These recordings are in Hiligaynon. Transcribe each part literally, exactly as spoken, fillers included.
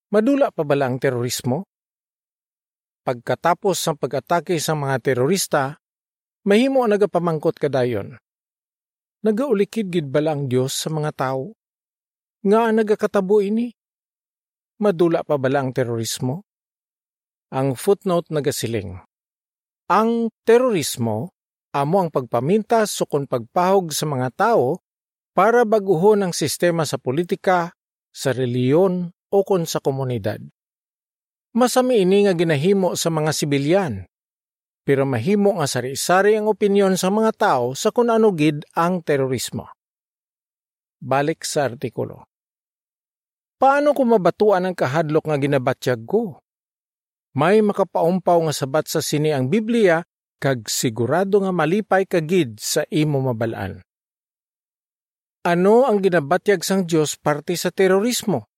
Madula pa bala ang terorismo? Pagkatapos sang pag-atake sang mga terorista, mahimo nagapamangkot ka dayon, "Nagaulikid gid bala ang Dios sa mga tawo? Ngaa nagakatabo ini? Madula pa bala ang terorismo?" Ang footnote nagasiling, ang terorismo amo ang pagpamintas ukon pagpahog sa mga tawo para bag-uhon ang sistema sa politika, sa relihiyon, ukon sa komunidad. Masami ini nga ginahimo sa mga sibilyan, pero mahimo nga sari-sari ang opinyon sa mga tawo sa kon ano gid ang terorismo. Balik sa artikulo. Paano ko mabatuan ang kahadlok nga ginabatyag ko? May makapaumpaw nga sabat sa sini ang Biblia, kag sigurado nga malipay ka gid sa imo mabal-an. Ano ang ginabatyag sang Dios parte sa terorismo?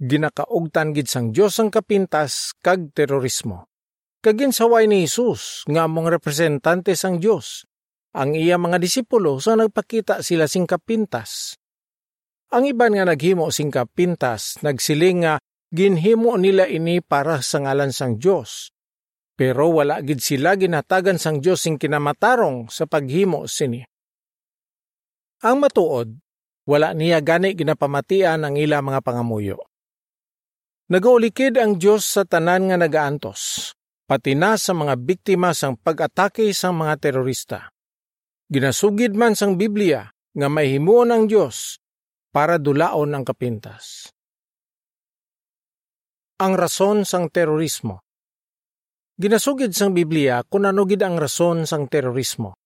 Ginakaugtan gid sang Dios ang kapintas kag terorismo. Kag ginsaway ni Jesus nga amo ang representante sang Dios ang iya mga disipulo sa nagpakita sila sing kapintas. Ang iban nga naghimo sing kapintas nagsiling nga ginhimo nila ini para sa ngalan sang Dios, pero wala gid sila ginhatagan sang Dios sing kinamatarong sa paghimo sini. Ang matuod, wala niya gani ginapamatian ang ila mga pangamuyo. Nagaulikid ang Dios sa tanan nga nagaantos, pati na sa mga biktima sang pag-atake sang mga terorista. Ginasugid man sang Biblia nga may himuon ang Dios para dulaon ang kapintas. Ang rason sang terorismo. Ginasugid sang Biblia kon ano gid ang rason sang terorismo.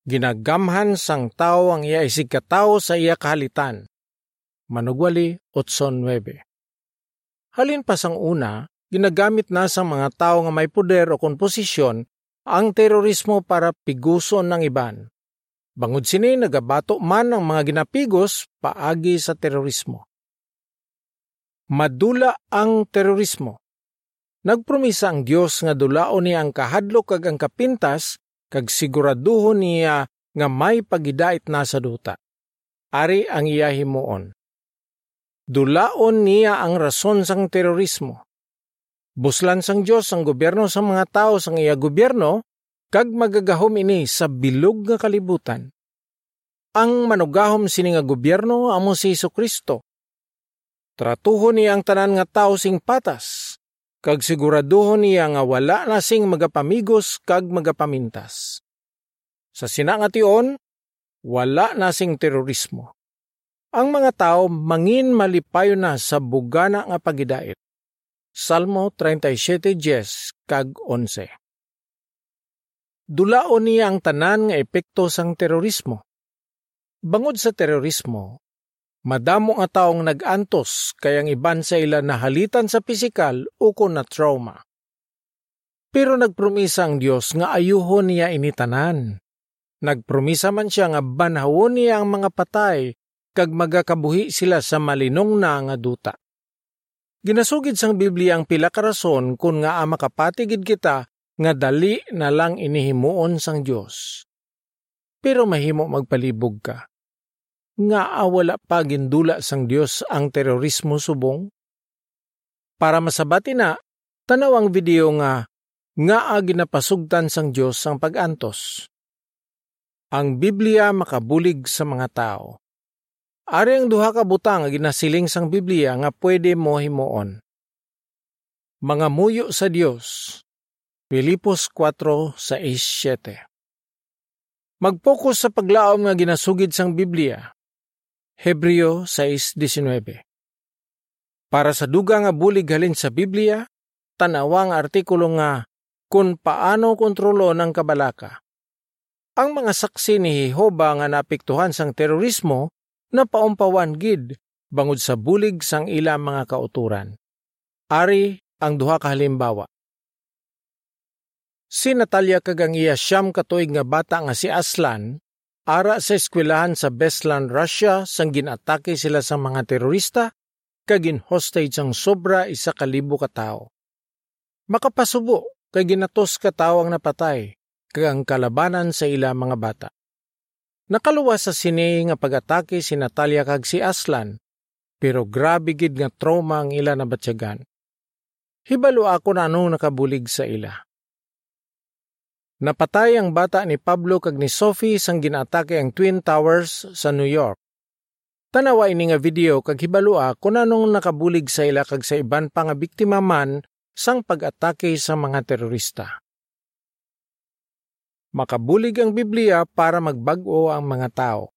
Ginagamhan sang tawo ang iya isigkatawo sa iya kahalitan. Manugwali otso nuebe. Halin pa sang una, ginagamit na sang mga tawo nga may poder o kon posisyon ang terorismo para piguson ang iban. Bangod sini, nagabato man ang mga ginapigos paagi sa terorismo. Madula ang terorismo. Nagpromisa ang Dios nga dulaon niya ang kahadlok kag ang kapintas, kag siguraduhon niya nga may pagidait na sa duta. Ari ang iya himuon. Dulaon niya ang rason sang terorismo. Buslan sang Dios ang gobyerno sang mga tawo sang iya gobyerno, kag magagahom ini sa bilog nga kalibutan. Ang manugahom sini nga gobyerno amo si Jesu-Cristo. Tratuhon niya ang tanan nga tawo sing patas, kag siguraduhon niya nga wala na sing magapamigos kag magapamintas. Sa sina nga tion, wala na sing terorismo. Ang mga tawo mangin malipayon na sa bugana nga pagidait. Salmo treinta y siete diez kag onse. Dulaon niya ang tanan nga epekto sang terorismo. Bangod sa terorismo, madamo nga tawo ang nag-antos, kay ang iban sa ila nahalitan sa pisikal ukon na-trauma. Pero nagpromisa ang Dios nga ayuhon niya ini tanan. Nagpromisa man sia nga banhawon niya ang mga patay kag magakabuhi sila sa malinong na nga duta. Ginasugid sang Biblia ang pila ka rason kon ngaa makapati gid kita nga dali na lang ini himuon sang Dios. Pero mahimo magpalibog ka. Ngaa wala pa gindula sang Dios ang terorismo subong? Para masabat ina, tan-aw ang video nga Ngaa Ginapasugtan sang Dios ang Pag-antos? Ang Biblia makabulig sa mga tawo. Ari ang duha ka butang nga ginasiling sang Biblia nga pwede mo himuon. Mangamuyo sa Dios, Filipos kuwatro, sais, siyete. Mag-focus sa paglaom nga ginasugid sang Biblia, Hebreo sais diecinuebe. Para sa dugang nga bulig halin sa Biblia, tan-awa ang artikulo nga Kon Paano Kontrolon ang Kabalaka. Ang mga saksi ni Jehovah nga naapektuhan sang terorismo napaumpawan gid bangod sa bulig sang ila mga kautoran. Ari ang duha ka halimbawa. Si Natalia kag ang iya siyam ka tuig nga bata nga si Aslan ara sa eskwelahan sa Beslan, Russia, sang gin-atake sila sang mga terorista kag gin-hostage ang sobra isa ka libo ka tawo. Makapasubo kay ginatos ka tawo ang napatay kag ang kalabanan sa ila mga bata. Nakaluwas sa sini nga pag-atake si Natalia kag si Aslan, pero grabe gid nga trauma ang ila nabatyagan. Hibalo ako na anong nakabulig sa ila. Napatay ang bata ni Pablo kag ni Sophie sang ginaatake ang Twin Towers sa New York. Tanawa ini nga video kag hibalua kon anong nakabulig sa ila kag sa iban pa nga biktima man sang pag-atake sa mga terorista. Makabulig ang Biblia para magbag-o ang mga tawo.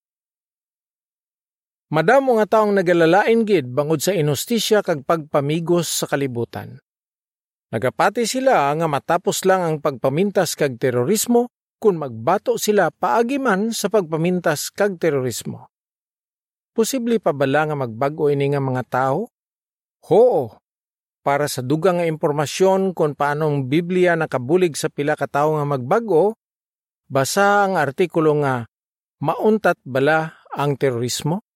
Madamo nga tawo ang nagalalain gid bangod sa inustisya kag pagpamigos sa kalibutan. Nagapati sila nga matapos lang ang pagpamintas kag terorismo kon magbato sila paagi man sa pagpamintas kag terorismo. Posible pa bala nga magbag-o ini nga mga tawo? Huo. Para sa dugang nga impormasyon kon paano ang Biblia nakabulig sa pila ka tawo nga magbag-o, basaha ang artikulo nga Mauntat Bala ang Terorismo?